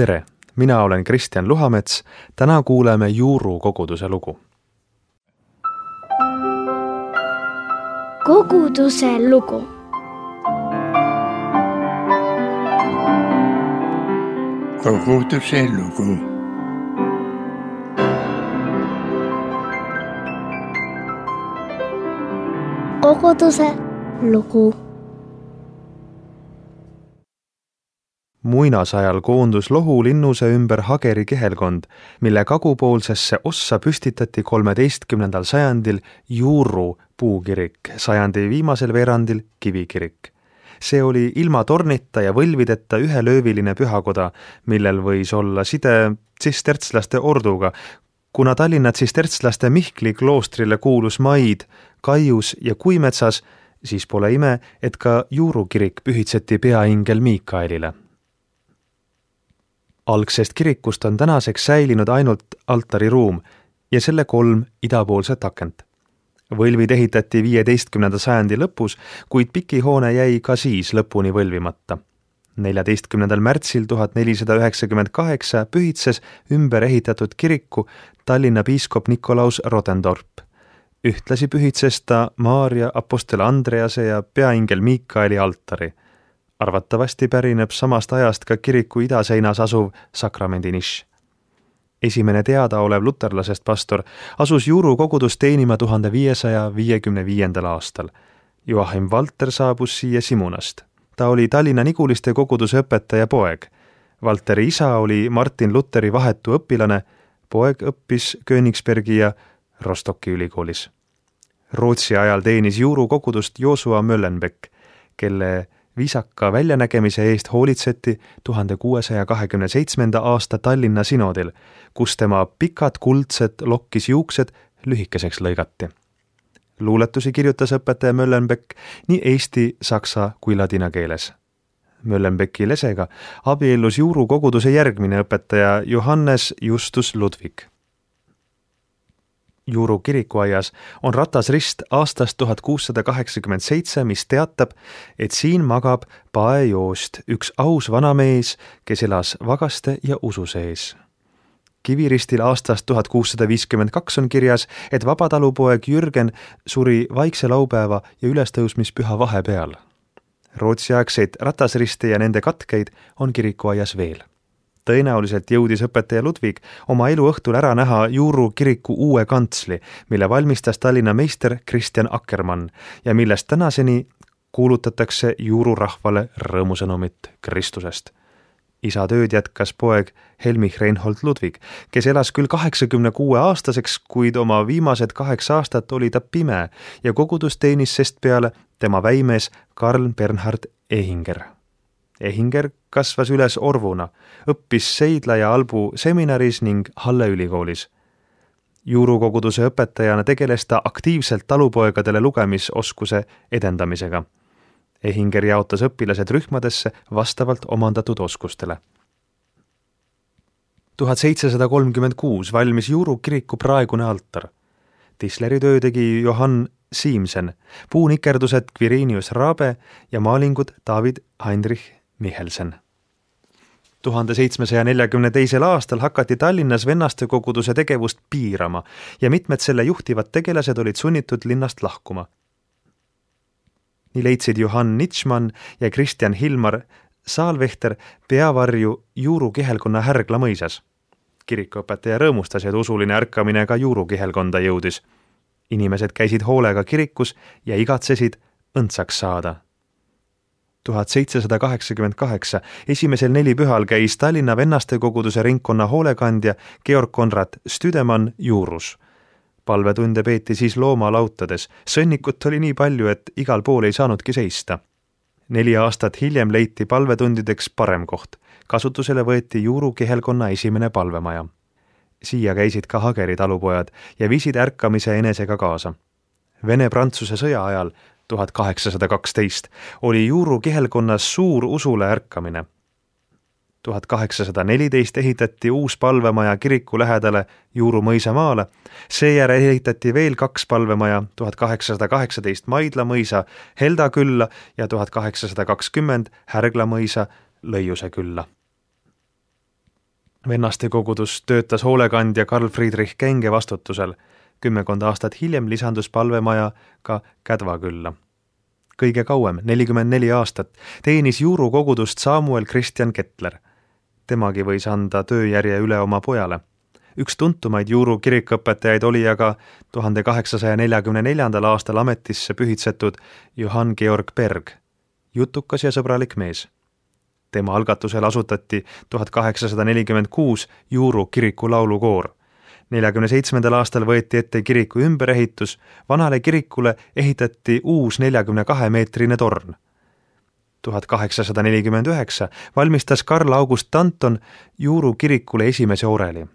Tere! Mina olen Kristjan Luhamets. Täna kuuleme Juuru koguduse lugu. Koguduse lugu. Koguduse lugu. Koguduse lugu. Muinasajal koondus Lohu linnuse ümber Hageri kihelkond, mille kagupoolsesse ossa püstitati 13. sajandil Juuru puukirik, sajandi viimasel veerandil kivikirik. See oli ilma tornita ja võlvideta ühelööviline pühakoda, millel võis olla side tsistertslaste orduga, kuna Tallinna tsistertslaste Mihkli kloostrile kuulus maid Kaius ja Kuimetsas, siis pole ime, et ka Juuru kirik pühitseti peaingel Miikaelile. Algsest kirikust on tänaseks säilinud ainult altariruum ja selle 3 idapoolset akent. Võlvid ehitati 15. sajandi lõpus, kuid pikihoone jäi ka siis lõpuni võlvimata. 14. märtsil 1498 pühitses ümber ehitatud kiriku Tallinna piiskop Nikolaus Rotendorp. Ühtlasi pühitses ta Maarja, apostel Andrease ja peaingel Miikaeli altari. Arvatavasti pärineb samast ajast ka kiriku idaseinas asuv sakramendinišš. Esimene teadaolev luterlasest pastor asus Juuru kogudust teenima 1555. aastal. Joachim Valter saabus siia Simunast. Ta oli Tallinna Niguliste koguduse õpetaja poeg. Valteri isa oli Martin Lutheri vahetu õpilane, poeg õppis Königsbergi ja Rostocki ülikoolis. Rootsi ajal teenis Juuru kogudust Joosua Möllenbeck, kelle viisaka väljanägemise eest hoolitseti 1627. aasta Tallinna sinodil, kus tema pikad kuldsed lokkis juuksed lühikeseks lõigati. Luuletusi kirjutas õpetaja Möllenbeck nii eesti, saksa kui ladina keeles. Möllenbecki lesega abiellus Juuru koguduse järgmine õpetaja Johannes Justus Ludwig. Juuru kirikuaias on ratasrist aastast 1687, mis teatab, et siin magab paejoost üks aus vanamees, kes elas vagaste ja usu sees. Kiviristil aastast 1652 on kirjas, et vabatalupoeg Jürgen suri vaikse laupäeva ja ülestõusmispüha vahepeal. Rootsiaegseid ratasriste ja nende katkeid on kirikuaias veel. Tõenäoliselt jõudis õpetaja Ludwig oma eluõhtul ära näha Juuru kiriku uue kantsli, mille valmistas Tallinna meister Kristjan Akkermann ja millest tänaseni kuulutatakse Juuru rahvale rõõmusõnumit Kristusest. Isa tööd jätkas poeg Helmich Reinhold Ludwig, kes elas küll 86-aastaseks, kuid oma viimased 8 aastat oli ta pime ja kogudus teenis sest peale tema väimees Karl Bernhard Ehinger. Ehinger kasvas üles orvuna, õppis Seidla ja Albu seminaris ning Halle ülikoolis. Juuru koguduse õpetajana tegeles ta aktiivselt talupoegadele lugemisoskuse edendamisega. Ehinger jaotas õpilased rühmadesse vastavalt omandatud oskustele. 1736 valmis Juuru kiriku praegune altar. Tisleri töö tegi Johann Siimsen, puunikerdused Quirinius Rabe ja maalingud David Heinrich Michelsen. 1742. aastal hakati Tallinnas vennaste koguduse tegevust piirama ja mitmed selle juhtivad tegelased olid sunnitud linnast lahkuma. Nii leidsid Johann Nitschmann ja Kristjan Hilmar Saalvehter peavarju Juuru kihelkonna Härgla mõisas. Kirikuõpetaja rõõmustas, et usuline ärkamine ka Juuru kihelkonda jõudis. Inimesed käisid hoolega kirikus ja igatsesid õndsaks saada. 1788 esimesel 4 pühal käis Tallinna vennaste koguduse ringkonna hoolekandja Georg Konrad Stüdemann Juurus. Palvetunde peeti siis loomalautades. Sõnnikut oli nii palju, et igal pool ei saanudki seista. 4 aastat hiljem leiti palvetundideks parem koht. Kasutusele võeti Juuru kihelkonna esimene palvemaja. Siia käisid ka Hageri talupojad ja viisid ärkamise enesega kaasa. Vene-Prantsuse sõja ajal 1812 oli Juuru kihelkonnas suur usule ärkamine. 1814 ehitati uus palvemaja kiriku lähedale Juuru mõisamaale, seejärel ehitati veel 2 palvemaja 1818 Maidla mõisa Helda külla ja 1820 Härgla mõisa Lõiuse külla. Vennaste kogudus töötas hoolekandja Karl Friedrich Kenge vastutusel. 10 aastat hiljem lisandus palvemaja ka Kädvakülla. Kõige kauem, 44 aastat, teenis Juuru kogudust Samuel Christian Kettler. Temagi võis anda tööjärje üle oma pojale. Üks tuntumaid Juuru kirikuõpetajaid oli aga 1844. aastal ametisse pühitsetud Johann Georg Berg, jutukas ja sõbralik mees. Tema algatusel asutati 1846 Juuru kiriku laulukoor. 47. aastal võeti ette kiriku ümberehitus, vanale kirikule ehitati uus 42-meetrine torn. 1849 valmistas Karl August Danton Juuru kirikule esimese oreli.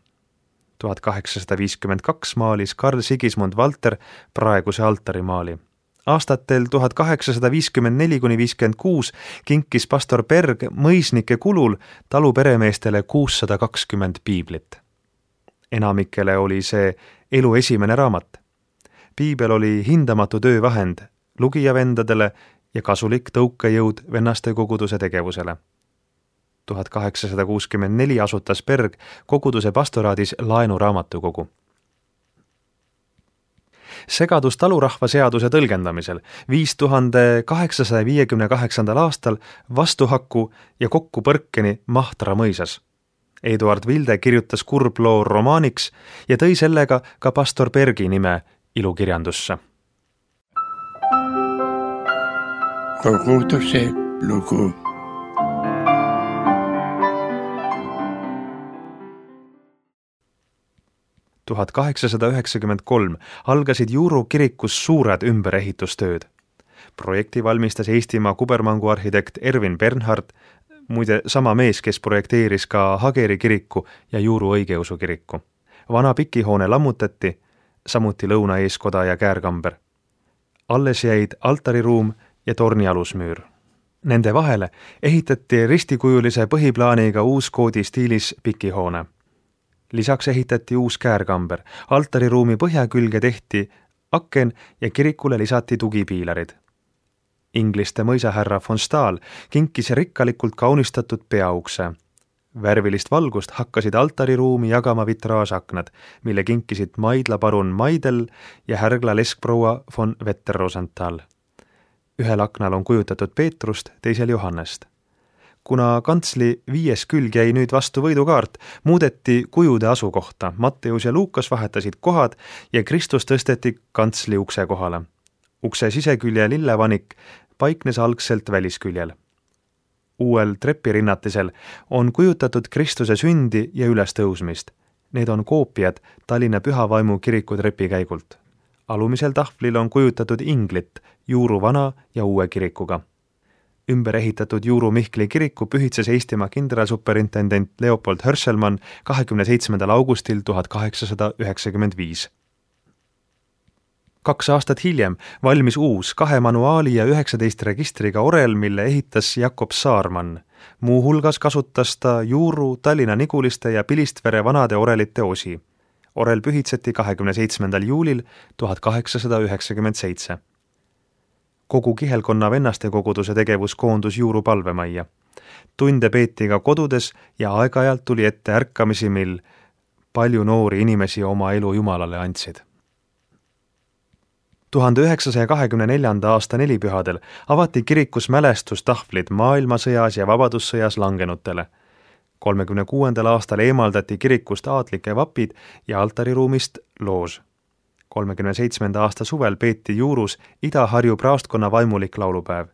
1852 maalis Karl Sigismund Valter praeguse altarimaali. Aastatel 1854–56 kinkis pastor Berg mõisnike kulul talu peremeestele 620 piiblit. Enamikele oli see elu esimene raamat. Piibel oli hindamatu töövahend lugijavendadele ja kasulik tõukejõud vennaste koguduse tegevusele. 1864 asutas Berg koguduse pastoraadis laenuraamatukogu. Segadus talurahva seaduse tõlgendamisel 1858. aastal vastuhakku ja kokkupõrkeni Mahtra mõisas. Eduard Vilde kirjutas kurbloo romaaniks ja tõi sellega ka pastor Bergi nime ilukirjandusse. Koguduse lugu. – 1893 algasid Juuru kirikus suured ümberehitustööd. Projekti valmistas Eestimaa kubermangu arhitekt Ervin Bernhard, muide sama mees, kes projekteeris ka Hageri kiriku ja Juuru õigeusu kiriku. Vana pikihoone lammutati, samuti lõunaeeskoda ja käärkamber. Alles jäid altariruum ja torni alusmüür. Nende vahele ehitati ristikujulise põhiplaaniga uuskoodi stiilis pikihoone. Lisaks ehitati uus käärkamber, altariruumi põhjakülge tehti aken ja kirikule lisati tugipiilarid. Ingliste mõisahärra von Stahl kinkis rikkalikult kaunistatud peaukse. Värvilist valgust hakkasid altariruumi jagama vitraasaknad, mille kinkisid Maidla parun Maidel ja härgla leskproua von Vetter-Rosenthal. Ühel aknal on kujutatud Peetrust, teisel Johannest. Kuna kantsli 5. külg jäi nüüd vastu võidukaart, muudeti kujude asukohta. Matteus ja Luukas vahetasid kohad ja Kristus tõsteti kantsli ukse kohale. Ukse sisekülje lillevanik paiknes algselt välisküljel. Uuel trepirinnatisel on kujutatud Kristuse sündi ja ülestõusmist. Need on koopiad Tallinna Pühavaimu kiriku trepikäigult. Alumisel tahvlil on kujutatud inglit Juuru vana ja uue kirikuga. Ümber ehitatud Juuru Mihkli kiriku pühitses Eestimaa kindralsuperintendent Leopold Hörselmann 27. augustil 1895. 2 aastat hiljem valmis uus 2 manuaali ja 19 registriga orel, mille ehitas Jakob Saarmann. Muu hulgas kasutas ta Juuru, Tallinna Niguliste ja Pilistvere vanade orelite osi. Orel pühitseti 27. juulil 1897. Kogu kihelkonna vennaste koguduse tegevus koondus Juuru palvemajja. Tunde peeti ka kodudes ja aeg-ajalt tuli ette ärkamisi, mil palju noori inimesi oma elu Jumalale andsid. 1924. aasta nelipühadel avati kirikus mälestustahvlid maailmasõjas ja vabadussõjas langenutele. 36. aastal eemaldati kirikust aadlike vapid ja altariruumist loož. 37. aasta suvel peeti Juurus Ida-Harju praostkonna vaimulik laulupäev.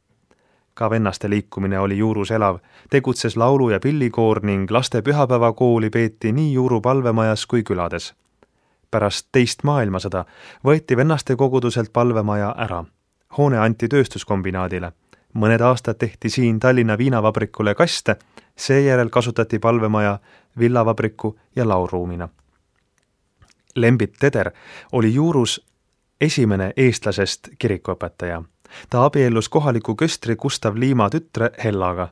Ka vennaste liikumine oli Juurus elav, tegutses laulu- ja pillikoor ning laste pühapäevakooli peeti nii Juuru palvemajas kui külades. Pärast teist maailmasõda võeti vennaste koguduselt palvemaja ära. Hoone anti tööstuskombinaadile. Mõned aastad tehti siin Tallinna viinavabrikule kaste, seejärel kasutati palvemaja villavabriku ja lauruumina. Lembit Teder oli Juurus esimene eestlasest kirikuõpetaja. Ta abiellus kohaliku köstri Gustav Liima tütre Hellaga.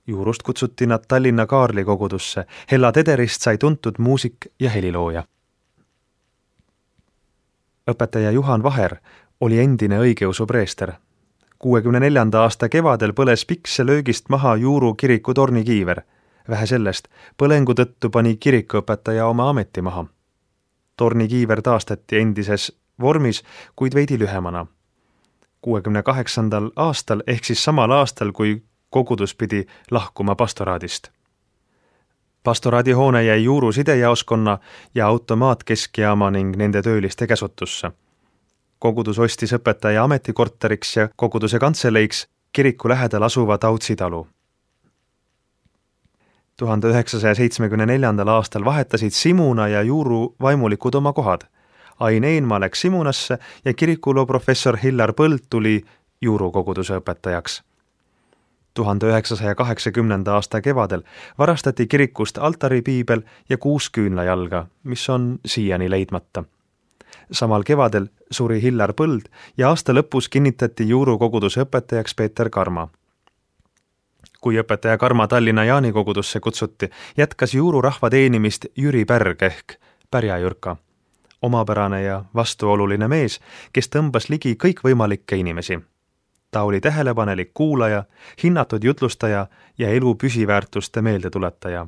Juurust kutsuti nad Tallinna Kaarli kogudusse. Hella Tederist sai tuntud muusik ja helilooja. Õpetaja Juhan Vaher oli endine õigeusu preester. 64. aasta kevadel põles pikse löögist maha Juuru kiriku tornikiiver. Vähe sellest, põlengu tõttu pani kirikuõpetaja oma ameti maha. Tornikiiver taastati endises vormis, kuid veidi lühemana. 68. aastal ehk siis samal aastal, kui kogudus pidi lahkuma pastoraadist. Pastoraadihoone jäi Juuru sidejaoskonna ja automaatkeskijaama ning nende tööliste käsutusse. Kogudus ostis õpetaja ametikorteriks ja koguduse kantseleiks kiriku lähedal asuva Tautsi talu. 1974. aastal vahetasid Simuna ja Juuru vaimulikud oma kohad. Ain Eenmaa läks Simunasse ja kirikuloo professor Hillar Põld tuli Juuru koguduse õpetajaks. 1980. aasta kevadel varastati kirikust altaripiibel ja 6 küünlajalga, mis on siiani leidmata. Samal kevadel suri Hillar Põld ja aasta lõpus kinnitati Juuru koguduse õpetajaks Peeter Karma. Kui õpetaja Karma Tallinna Jaani kogudusse kutsuti, jätkas Juuru rahva teenimist Jüri Pärg ehk Pärja-Jürka. Omapärane ja vastuoluline mees, kes tõmbas ligi kõikvõimalikke inimesi. Ta oli tähelepanelik kuulaja, hinnatud jutlustaja ja elu püsiväärtuste meeldetuletaja.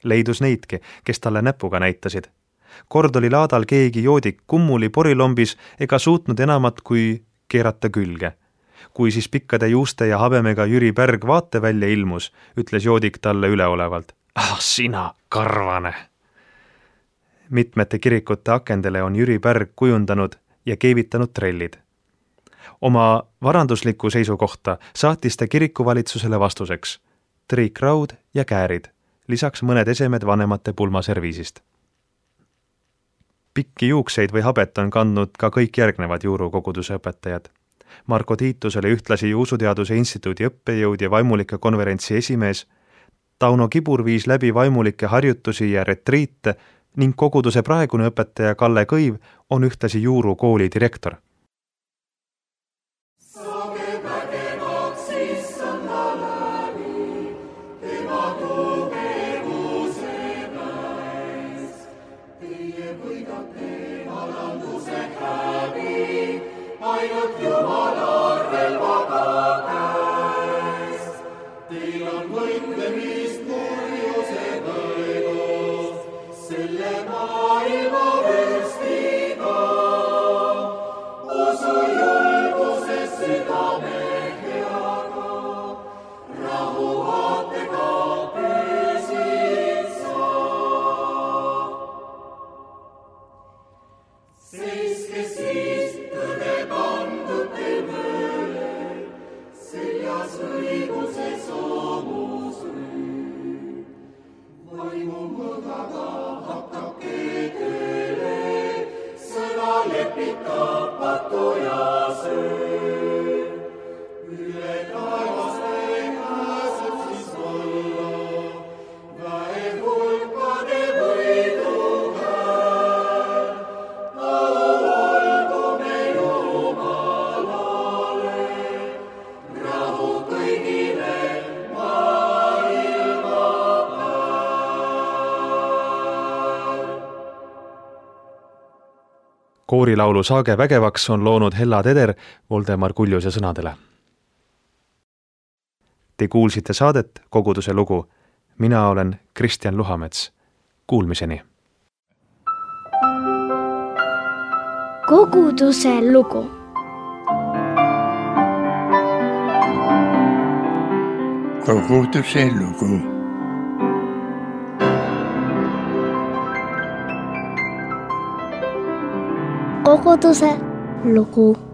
Leidus neidki, kes talle näpuga näitasid. Kord oli laadal keegi joodik kummuli porilombis ega suutnud enamat kui keerata külge. Kui siis pikkade juuste ja habemega Jüri Pärg vaatevälja ilmus, ütles joodik talle üleolevalt: "Ah, sina karvane!" Mitmete kirikute akendele on Jüri Pärg kujundanud ja keevitanud trellid. Oma varandusliku seisukohta saatis ta kirikuvalitsusele vastuseks triikraud ja käärid, lisaks mõned esemed vanemate pulmaserviisist. Pikki juukseid või habet on kandnud ka kõik järgnevad Juuru koguduse õpetajad. Marko Tiitus oli ühtlasi Usuteaduse Instituudi õppejõud ja vaimulike konverentsi esimees. Tauno Kibur viis läbi vaimulike harjutusi ja retriite ning koguduse praegune õpetaja Kalle Kõiv on ühtlasi Juuru kooli direktor. Ainult Jumala relvaga käest, teil on võitlemist kurjusega edos, selle maailma vürstiga. Usu julguses südame heaga, rahu vaatega püsid sa. Seiske siis tõde pandud teil võõle, seljas õiguse soomus rüü. Vaimu mõõdaga hakkake tööle, sõna lepitab patu ja söö. Üle taevaste pääseb siis valla, väe hulkade võidu hääl. Au olgu me Jumalale, rahu kõigile maailma pääl. Koorilaulu Saage vägevaks on loonud Hella Teder Voldemar Kuljuse sõnadele. Te kuulsite saadet Koguduse lugu. Mina olen Kristjan Luhamets. Kuulmiseni! Koguduse lugu. Koguduse lugu. Koguduse lugu.